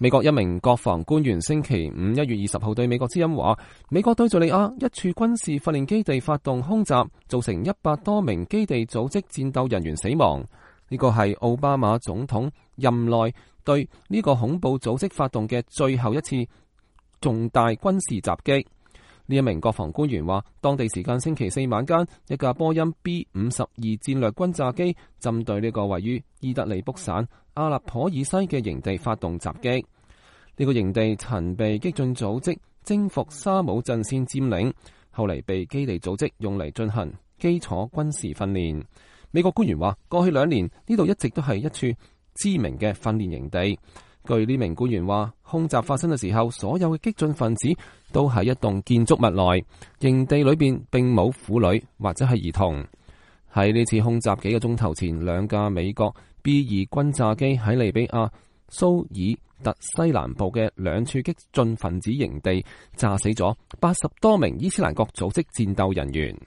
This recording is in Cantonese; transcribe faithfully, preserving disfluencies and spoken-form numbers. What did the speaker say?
美國一名國防官員星期五一月二十號對美國之音話，美國對敘利亞一處軍事訓練基地發動空襲，造成一百多名基地組織戰鬥人員死亡。呢個係奧巴馬總統任內對呢個恐怖組織發動嘅最後一次重大軍事襲擊。呢一名國防官員話，當地時間星期四晚間，一架波音 B 五十二戰略轟炸機針對呢個位於伊德利卜省阿勒頗以西嘅營地發動襲擊。呢個營地曾被激進組織征服沙姆陣線佔領，後嚟被基地組織用嚟進行基礎軍事訓練。美國官員話，過去兩年呢度一直都係一處知名嘅訓練營地。據呢名官員話，空襲發生嘅時候，所有嘅激進分子都喺一棟建築物內，營地裏邊並冇婦女或者係兒童。喺呢次空襲幾個鐘頭前，兩架美國 B 二轟炸機喺利比亞蘇爾特西南部嘅兩處激進分子營地炸死咗八十多名伊斯蘭國組織戰鬥人員。